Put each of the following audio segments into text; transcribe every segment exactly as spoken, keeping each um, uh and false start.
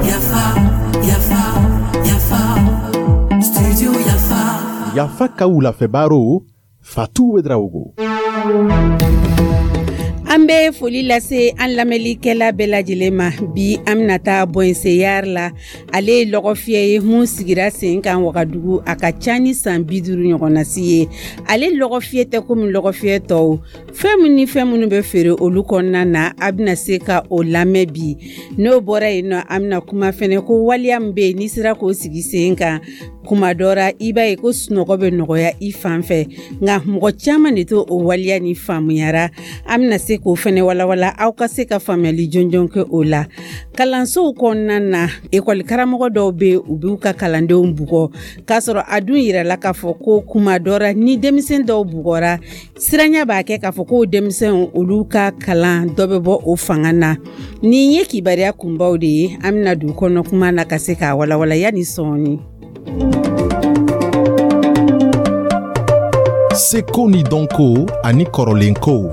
Yafa, Yafa, Yafa, Studio Yafa. Yafa ka wulafɛ Fatou Ouédraogo. An bɛ foli lase an lamɛnlikɛla bɛɛ lajɛlen ma. Bi, an bɛna taa Bɔnseyari la. Ale ye lɔgɔfiyɛ ye mun sigira sen kan Wagadugu, a ka ca ni san bi duuru ɲɔgɔnnasi ye. Ale lɔgɔfiyɛ tɛ komi lɔgɔfiyɛ tɔw. Fɛn min ni fɛn minnu bɛ feere olu kɔnɔna na, a bɛna se ka o lamɛn bi. N'o bɔra yen nɔ, an bɛna kuma fɛnɛ ko waleya min bɛ yen, n'i sera k'o sigi sen kan, kuma dɔ ra, i b'a ye ko sunɔgɔ bɛ nɔgɔya i fan fɛ, nka mɔgɔ caman de t'o o waleya ni faamuyara. An bɛna se k'o fɛnɛ walawala, aw ka se ka faamuyali jɔnjɔn kɛ o la. Kalansow kɔnɔna na, ekɔli karamɔgɔ dɔw bɛ yen, u b'u ka kalandenw bugɔ, k'a sɔrɔ a dun yirala k'a fɔ ko kuma dɔ ra, ni denmisɛn dɔw bugɔra, siranya b'a kɛ k'a fɔ ko denmisɛnw olu ka kalan dɔ bɛ bɔ o fanga na. Nin ye kibaruya kunbaw de ye. An bɛna don kɔnɔ kuma na ka se k'a walawala yanni sɔɔni. Seko ni dɔnko ani kɔrɔlenkow.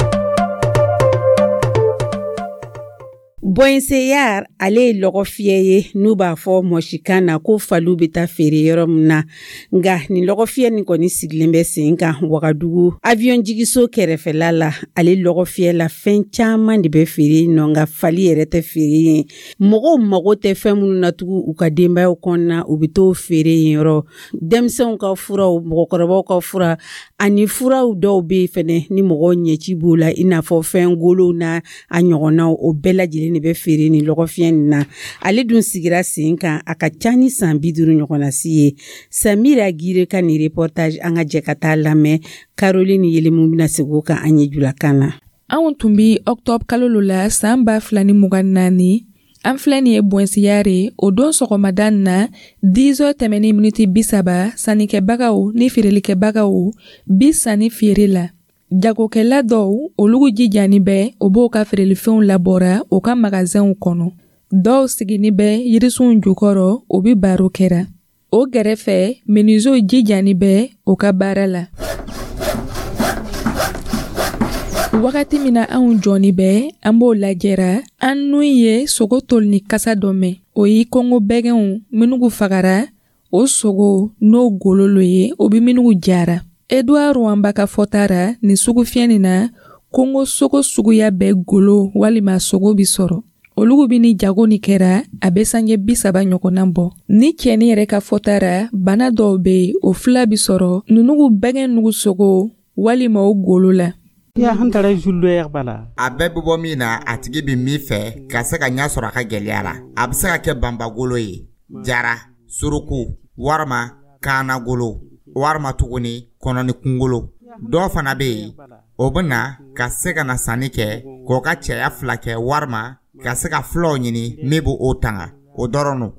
Bɔnseyar, ale ye lɔgɔfiyɛ ye n'u b'a fɔ mɔsikan na ko faliw bɛ taa feere yɔrɔ min na. Nka nin lɔgɔfiyɛ nin kɔni sigilen bɛ sen kan Wagadugu avion jigiso kɛrɛfɛla la. Ale lɔgɔfiyɛ la, fɛn caman de bɛ feere yen nɔ, nka fali yɛrɛ tɛ feere yen. Mɔgɔw mago tɛ fɛn minnu na tugun u ka denbayaw kɔnɔna, u bɛ t'o feere yen yɔrɔ. Denmisɛnw ka furaw, mɔgɔkɔrɔbaw ka fura ani furaw dɔw bɛ yen fɛnɛ ni mɔgɔw ɲɛci b'o la, i n'a fɔ fɛn golow n'a a ɲɔgɔnnaw, o bɛɛ lajɛlen de bɛ feere nin lɔgɔfiyɛ nin na. Ale dun sigira sen kan, a ka ca ni san bi duuru ɲɔgɔnnasi ye. Samira Gire ka nin reportage, an ka jɛ ka taa lamɛn. Caroline Yelemu bɛna segin o kan an ye julakan na. Anw tun bi ɔktɔbr kalo lo la saan ba fila ni mugan naani. An filɛ nin ye Bɔnsiyare. O don sɔgɔmada na, dix heures tɛmɛni miniti bi saba, sannikɛbagaw ni feerelikɛbagaw bi sanni feere la. Jagokɛla dɔw, olugu jijani bɛ, o b'o ka feerelifɛnw labɔra o ka magazɛnw kɔnɔ. Dɔw sigini bɛ yirisunw jukɔrɔ, o bi baro kɛra. O gɛrɛfɛ, menuisiers jijani bɛ o ka baara la. Wagati min na anw jɔni bɛ, an b'o lajɛra, an nun ye sogo tolini kasa dɔ mɛn. O ye kongo bɛgɛnw minugu fagara, o sogo n'o golo lo ye, o bi minugu jara. Edouard Rwamba ka fɔta ra, nin sugufiyɛ nin na, kongo sogo suguya bɛɛ golo walima sogo bi sɔrɔ. Olugu bi ni jago ni kɛra, a bɛ sanjɛ bi saba ɲɔgɔnna bɔ. Ni cɛni yɛrɛ ka fɔta ra, bana dɔw be yen, o fila bi sɔrɔ nunugu bɛgɛn nugu sogo walima o golo la. A bɛɛ bɛ bɔ min na, a tigi bɛ min fɛ ka se ka ɲɛ sɔrɔ a ka gɛlɛya la. A bɛ se ka kɛ banbagolo ye, jara, suruku walima kaanagolo walima tuguni kɔnɔni kunkolo. Dɔw fana bɛ yen, o bɛ na ka se ka na sanni kɛ k'o ka cɛya fila kɛ walima ka se ka fulaw ɲini min b'o o tanga, o dɔrɔn don.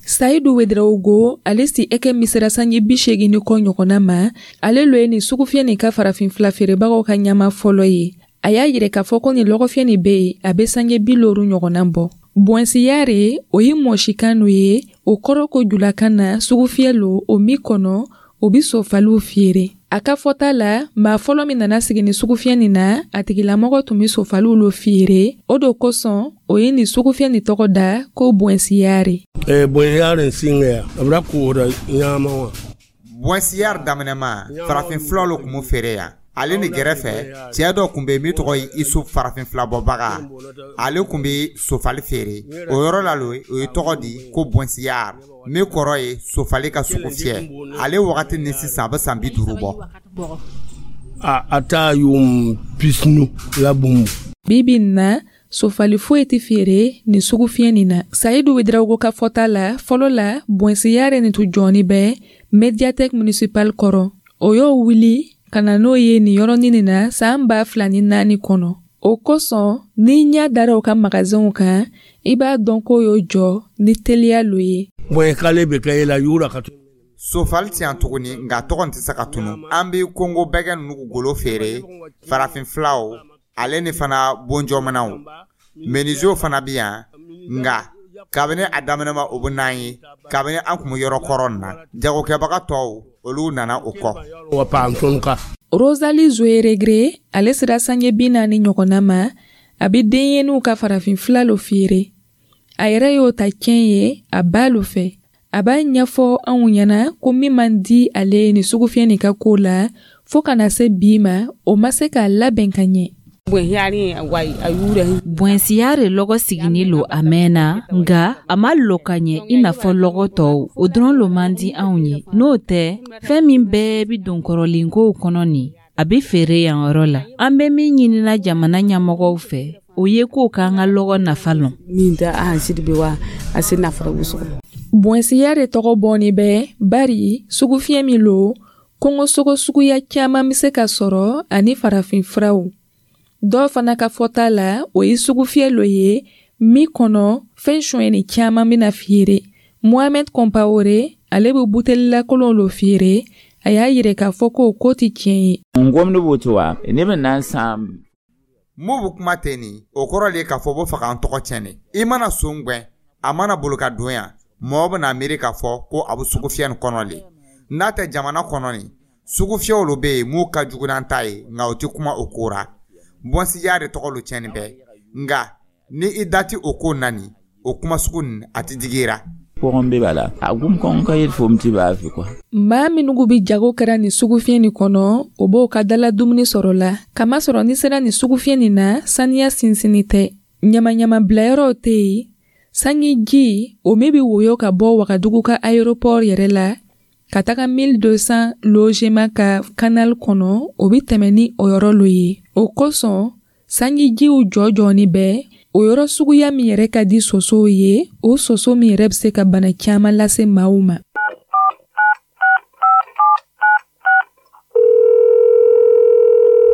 Sayidu Wedrawugo, ale si ɛkɛ misira sanji bi seegin ni kɔ ɲɔgɔnna ma. Ale lo ye nin sugufiyɛ nin ka farafin fila feerebagaw ka ɲama fɔlɔ ye. A y'a yirɛ k'a fɔ ko nin lɔgɔfiyɛ nin be yen, a be sanjɛ bi loru ɲɔgɔnna bɔ. Bɔnsiyare, o ye mɔsikan no ye, o kɔrɔ ko julakan na sugufiyɛ lo o min kɔnɔ o bi sofaliw feere. A ka fɔta la, maa fɔlɔ min nana sigi ni sugufiyɛ nin na, a tigilamɔgɔ tun be sofaliw lo feere. O do kosɔn o ye nin sugufiyɛ nin tɔgɔ da ko Bɔnsiyare. Bɔnsiyare daminɛma, farafin fulaw lo tun bɛ feere yan. Ale ni gɛrɛfɛ, cɛɛ dɔ tun bɛ min tɔgɔ ye Isu, farafin filabɔbaga. Ale tun bɛ sofali feere o yɔrɔ la lo. O ye tɔgɔ di ko Bɔnsiyare, min kɔrɔ ye sofali ka sugu fiyɛ. Ale wagati ni sisan, a bɛ san bi duuru bɔ. A taa yuum pisnu la bũmb. Bi bi na, sofali foyi tɛ feere nin sugufiyɛ nin na. Sayidu Wedrawugo ka fɔta la, fɔlɔ la, Bɔnsiyare nin tun jɔni bɛ médiathèque municipale kɔrɔ. O y'o wuli ka na n'o ye nin yɔrɔnin nin na saan ba fila ni naani kɔnɔ. O kosɔn, n'i ɲɛ dara o ka magazɛnw kan, i b'a dɔn k'o y'o jɔ ni teliya lo ye. Sofali ti yan tuguni, nka tɔgɔ tɛ se ka tunu. An bɛ kongo bɛgɛ ninnu golo feere, farafin filaw, ale ni fana bonjɔmanaw. Menuisiers fana bɛ yan, nka Kabini a daminɛma, o bɛ n'an ye kabini an kun bɛ yɔrɔ kɔrɔ nin na. Jagokɛbaga tɔw, olu nana o kɔ. Wa paam tõnd ka. Rosalie Zoeregre, ale sera sange bi naani ɲɔgɔnna ma. A bɛ denɲɛninw ka farafin fila lo feere. A yɛrɛ y'o ta tiɲɛ ye a ba lo fɛ. A b'a ɲɛfɔ anw ɲɛna ko min man di ale ye nin sugufiyɛ nin ka ko la, fo ka na se bi ma, o ma se k'a labɛn ka ɲɛ. Bɔnsiya lɔgɔ sigini lo a mɛnna, nga a ma lɔ ka ɲɛ i n'a fɔ lɔgɔ tɔw. O dɔrɔn lo man di anw ye. N'o tɛ, fɛn min bɛɛ bi don kɔrɔlenkow kɔnɔ nin, a bɛ feere yan yɔrɔ la. An bɛ min ɲinina jamana ɲɛmɔgɔw fɛ, o ye k'o k'an ka lɔgɔ nafa lɔn. Bɔnsiya de tɔgɔ bɔnni bɛ bari sugufiyɛ min lo, kɔngɔsogo suguya caman bɛ se ka sɔrɔ ani farafin furaw. Dɔw fana ka fɔta la, o ye sugufiyɛ lo ye min kɔnɔ fɛn sonyɛni caman bɛna feere. Mohamed Compaoré, ale bɛ butelilakolon lo feere. A y'a yira k'a fɔ ko o ko tɛ tiɲɛ ye. N gomdi woto wa ne bɛ nan sãam. Mun bɛ kuma ten nin, o kɔrɔ de ye k'a fɔ b'o fɛ k'an tɔgɔ tiɲɛ de. I mana son gwɛn, a mana bolo ka don yan, mɔgɔ bɛna miiri k'a fɔ ko a bɛ sugufiyɛ nin kɔnɔ le. N'a tɛ jamana kɔnɔ nin, sugufiyɛw lo bɛ yen mun ka jugu n'an ta ye, nka o tɛ kuma o ko ra. Bɔnsiya de tɔgɔ lo tiɲɛni bɛ, nka ni i da ti o ko na nin, o kuma sugu nin, a ti digi i ra. Pʋgẽ be bala a gʋm kõn ka yel fom tɩ baa fɩ kɔa. Maa minnu bɛ jago kɛra nin sugufiyɛ nin kɔnɔ, o b'o ka dala dumuni sɔrɔ la, kamasɔrɔ ni sera nin sugufiyɛ nin na, saniya sinsinni tɛ, ɲamaɲama bilayɔrɔw tɛ yen. Sanji ji o min bɛ woyo ka bɔ Wagadugu ka aéroport yɛrɛ la ka taga mille deux cents logements ka canal kɔnɔ, o bɛ tɛmɛ ni o yɔrɔ lo ye. O kosɔn sanjijiw jɔ jɔni bɛ o yɔrɔ suguya min yɛrɛ ka di sosow ye, o soso min yɛrɛ bɛ se ka bana caman lase maaw ma.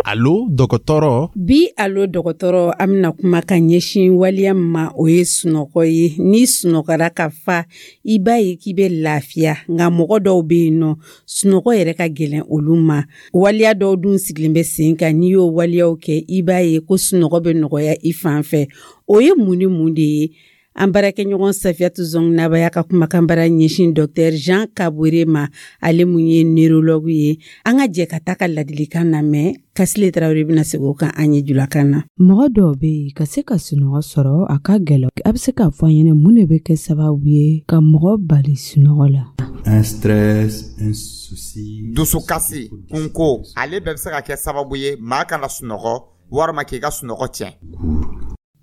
Alo dɔgɔtɔrɔ. Bi alo dɔgɔtɔrɔ, an bɛna kuma ka ɲɛsin waleya min ma, o ye sunɔgɔ ye. Ni sunɔgɔra ka fa, i b'a ye k'i bɛ lafiya. Nka mɔgɔ dɔw bɛ yen nɔ, sunɔgɔ yɛrɛ ka gɛlɛn olu ma. Waleya dɔw dun sigilen bɛ sen kan, n'i y'o waleyaw kɛ, i b'a ye ko sunɔgɔ bɛ nɔgɔya i fan fɛ. O ye mun ni mun de ye? An baarakɛɲɔgɔn Safiyatu Zɔnginaba y'a ka kumakanbara ɲɛsin Docteur Jean Kabore ma, ale mun ye neurologue ye. An ka jɛ ka taa ka ladilikan lamɛn. Kasile Tarawele bɛna segin o kan an ye julakan na. Mɔgɔ dɔw bɛ yen, ka se ka sunɔgɔ sɔrɔ, a ka gɛlɛn. A bɛ se k'a fɔ an ɲɛna mun de bɛ kɛ sababu ye ka mɔgɔ bali sunɔgɔ la? Un stress, un souci. Dusukasi, kunko, ale bɛɛ bɛ se ka kɛ sababu ye maa kana sunɔgɔ walima k'i ka sunɔgɔ tiɲɛ.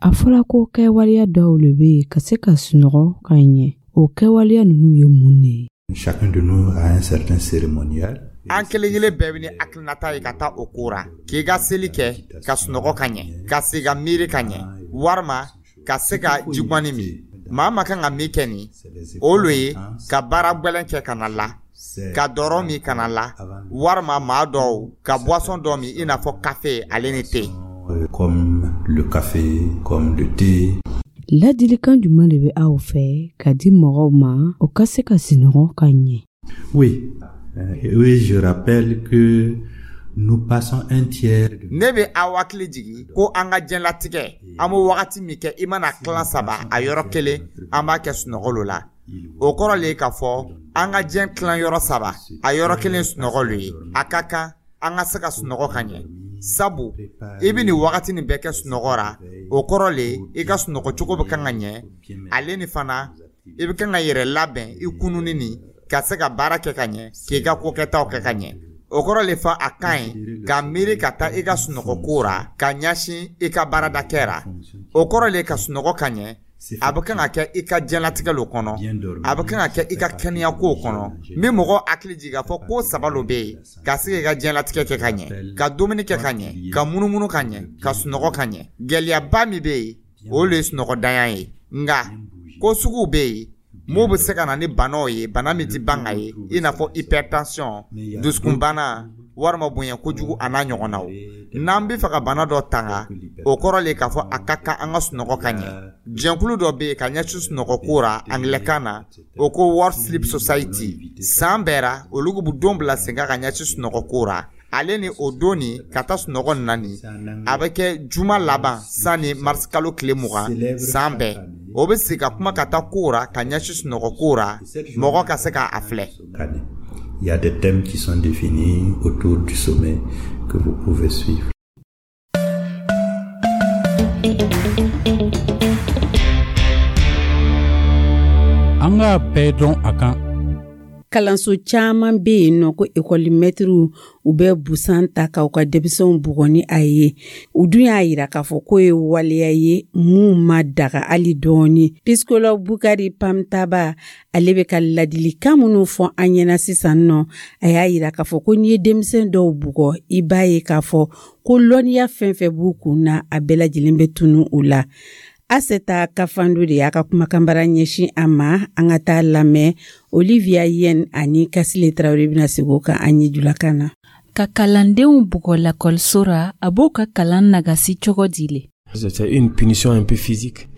A fɔra ko kɛwaleya dɔw le bɛ yen ka se ka sunɔgɔ ka ɲɛ. O kɛwaleya ninnu ye mun de ye? Chacun de nous a un certain cérémonial. An kelen kelen bɛɛ bɛ ni hakilinata ye ka taa o ko ra, k'i ka seli kɛ ka sunɔgɔ ka ɲɛ, ka se ka miiri ka ɲɛ, walima ka se ka jigɔni min. Maa ma kan ka min kɛ nin, o lo ye ka baara gwɛlɛn kɛ ka na la, ka dɔrɔ min ka na la, walima maa dɔw ka boisson dɔ min, i n'a fɔ kafe ale ni te. Comme le café, comme le thé. Ladilikan jumɛn de bɛ aw fɛ ka di mɔgɔw ma, o ka se ka sunɔgɔ ka ɲɛ? Oui, euh, oui, je rappelle que nous passons un tiers de Ne bɛ aw hakili jigi ko an ka diɲɛlatigɛ, an bɛ wagati min kɛ, i mana tilan saba, a yɔrɔ kelen an b'a kɛ sunɔgɔ lo la. O kɔrɔ le ye k'a fɔ an ka diɲɛ tilan yɔrɔ saba, a yɔrɔ kelen sunɔgɔ lo ye. A ka kan an ka se ka sunɔgɔ ka ɲɛ, sabu i bɛ nin wagati nin bɛɛ kɛ sunɔgɔ ra. O kɔrɔ le i ka sunɔgɔ cogo bɛ kan ka ɲɛ. Ale ni fana, i bɛ kan ka yɛrɛ labɛn i kununi nin ka se ka baara kɛ ka ɲɛ, k'i ka kokɛtaw kɛ ka ɲɛ. O kɔrɔ le fa a ka ɲi ka miiri ka taa i ka sunɔgɔ ko ra ka ɲɛsin i ka baaradakɛ ra. O kɔrɔ le ka sunɔgɔ ka ɲɛ, a bɛ kan ka kɛ i ka diɲɛlatigɛ lo kɔnɔ, a bɛ kan ka kɛ i ka kɛnɛya kow kɔnɔ. N bɛ mɔgɔ hakili jigin k'a fɔ ko saba lo bɛ yen ka se k'i ka diɲɛlatigɛ kɛ ka ɲɛ: ka dumuni kɛ ka ɲɛ, ka munumunu ka ɲɛ, ka sunɔgɔ ka ɲɛ. Gɛlɛyaba min bɛ yen, o le ye sunɔgɔdanya ye. Nka ko suguw bɛ yen mun bɛ se ka na ni banaw ye, bana min tɛ ban ka ye, i n'a fɔ hypertension, dusukunbana, walima bonya kojugu, a n'a ɲɔgɔnnaw. N'an bɛ fɛ ka bana dɔ tanga, o kɔrɔ le k'a fɔ a ka kan an ka sunɔgɔ ka ɲɛ. Jɛnkulu dɔ bɛ yen ka ɲɛsin sunɔgɔ ko ra angilɛkan na, o ko World Sleep Society. San bɛɛ ra, olu bɛ don bila sen kan ka ɲɛsin sunɔgɔ ko ra. Ale ni o don nin ka taa sunɔgɔ nin na nin, a bɛ kɛ juma laban sanni marisikalo tile mugan san bɛɛ. O bɛ sigi ka kuma ka taa kow ra ka ɲɛsin sunɔgɔ kow ra, mɔgɔ ka se k'a filɛ. Il y a des thèmes qui sont définis autour du sommet que vous pouvez suivre. An k'a bɛɛ dɔn a kan. Kalanso caman bɛ yen nɔ ko ekɔlimɛtiriw, u bɛ busan ta k'u ka denmisɛnw bugɔ ni a ye. U dun y'a yira k'a fɔ k'o ye waleya ye mun ma daga hali dɔɔni. Psychologue Bukari Pamtaba, ale bɛ ka ladilikan minnu fɔ an ɲɛna sisan nɔ, a y'a yira k'a fɔ ko n'i ye denmisɛn dɔw bugɔ, i b'a ye k'a fɔ ko lɔnniya fɛn fɛn b'u kun na, a bɛɛ lajɛlen bɛ tunu u la. Aseta Kafando de y'a ka kumakanbara ɲɛsin a ma. An ka taa lamɛn. Olivia Yen ani Kasile Tarawele bɛna segin o kan an ye julakan na. Ka kalandenw bugɔ lakɔliso ra, a b'o ka kalan nagasi cogo di le? C'est une punition un peu physique.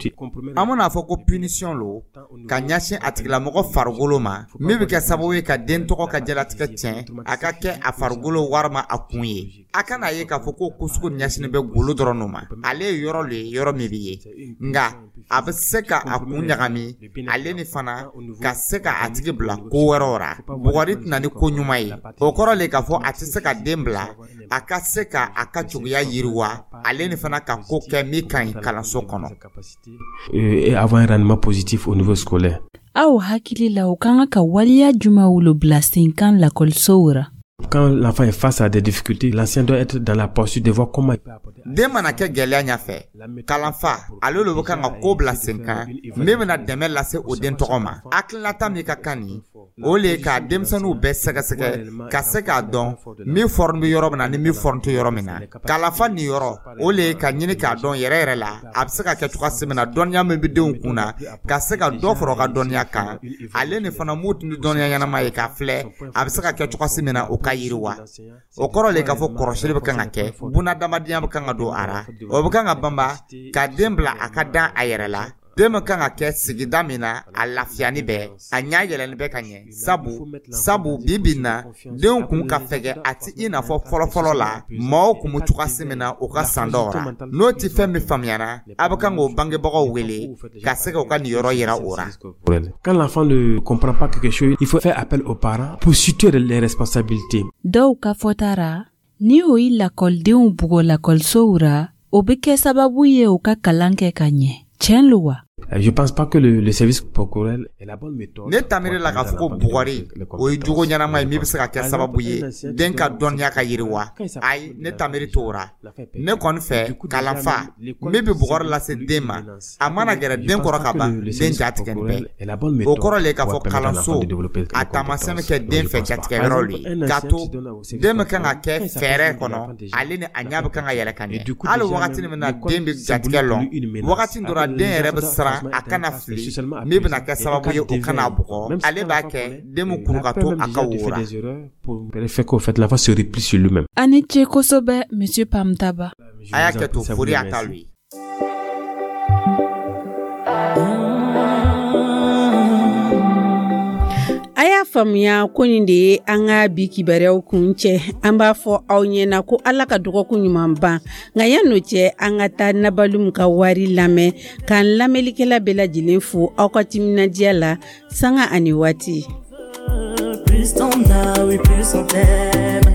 An bɛna fɔ ko punition lo ka ɲɛsin a tigilamɔgɔ farikolo ma, min bɛ kɛ sababu ye ka den tɔgɔ ka jalatigɛ tiɲɛ, a ka kɛ a farikolo walima a kun ye. A kana ye k'a fɔ ko ko sugu ɲɛsinnen bɛ golo dɔrɔn ma. Ale ye yɔrɔ le ye, yɔrɔ min bɛ ye, nka a bɛ se ka a kun ɲagami ale ni fana ka se ka a tigi bila ko wɛrɛw ra. Bugɔri tɛna ni ko ɲuman ye. O kɔrɔ le k'a fɔ a tɛ se ka den bila a ka se ka a ka cogoya yiriwa, ale ni fana ka ko kɛ min ka ɲi kalanso kɔnɔ. Et avoir un rendement positif au niveau scolaire. Aw hakili la, u ka kan ka waleya jumɛnw lo bila sen kan lakɔlisow ra? Quand l'enfant est face à des difficultés, l'enseignant doit être dans la posture de voir comment il peut apporter. Den mana kɛ gɛlɛya ɲɛfɛ, kalanfa ale le bɛ kan ka ko bila sen kan min bɛna dɛmɛ lase o den tɔgɔ ma. Hakilinata min ka kan nin, o le ye ka denmisɛnninw bɛɛ sɛgɛsɛgɛ ka se k'a dɔn min fɔrɔn bɛ yɔrɔ min na ni min fɔrɔn tɛ yɔrɔ min na. Kalanfa nin yɔrɔ, o le ye ka ɲini k'a dɔn yɛrɛ yɛrɛ la a bɛ se ka kɛ cogoya min na, dɔnniya min bɛ denw kun na, ka se ka dɔ fara u ka dɔnniya kan, ale ni fana mun tun tɛ dɔnniya ɲɛnama ye, k'a filɛ a bɛ se ka kɛ cogoya min na o ka yiriwa. O kɔrɔ le k'a fɔ kɔrɔsili bɛ kan ka kɛ, bunadamadenya bɛ kan ka don a ra, o bɛ kan ka banba ka den bila a ka dan a yɛrɛ la. Den bɛ kan ka kɛ sigida min na, a lafiyani bɛɛ, a ɲɛ yɛlɛni bɛ ka ɲɛ, sabu sabu bi bi in na, denw kun ka fɛgɛ, a ti i n'a fɔ fɔlɔfɔlɔ la maaw kun bɛ cogoya min na u ka san dɔw ra. N'o ti fɛn min faamuyara, a bɛ kan k'o bangebagaw wele ka se k'u ka nin yɔrɔ yira o ra. Quand l'enfant ne comprend pas quelque chose, il faut faire appel aux parents pour situer les responsabilités. Dɔw ka fɔta ra, ni o ye lakɔlidenw bugɔ lakɔlisow ra, o bɛ kɛ sababu ye u ka kalan kɛ ka ɲɛ. Tiɲɛ lo wa? Je pense pas que le, le service corporel est la bonne méthode. Ne ta miiri la k'a fɔ ko bugɔri, o ye jogo ɲɛnama ye min bɛ se ka kɛ sababu ye den ka dɔnniya ka yiriwa. Ayi, ne ta miiri t'o ra. Ne kɔni fɛ, kalanfa min bɛ bugɔri lase den ma, a mana gɛrɛ den kɔrɔ ka ban, den ja tigɛ nin bɛɛ. O kɔrɔ le k'a fɔ kalanso a taamasiyɛn bɛ kɛ den fɛ jatigɛyɔrɔ le ye, k'a to den bɛ kan ka kɛ fɛɛrɛ kɔnɔ, ale ni a ɲɛ bɛ kan ka yɛlɛ ka ɲɛ. Hali wagati min na den bɛ jatigɛ lɔn, wagati dɔ la den yɛrɛ bɛ siran a kana fili min bɛna kɛ sababu ye o kana bugɔ. Ale b'a kɛ den bɛ kuru ka to a ka wo ra. Fait qu'au fait l'enfant se replie sur lui-même. A ni ce kosɛbɛ, Monsieur Pamtaba. A y'a kɛ to fori a ta lu ye. A y'a faamuya ko nin de ye an ka bi kibaruyaw kun cɛ. An b'a fɔ aw ɲɛna ko Ala ka dɔgɔkun ɲuman ban. Nka yan'o cɛ, an ka taa Nabalum ka wari lamɛn, k'an lamɛnlikɛla bɛɛ lajɛlen fo aw ka timinandiya la sanga ani waati. Plus t'en as, oui, plus on t'aime.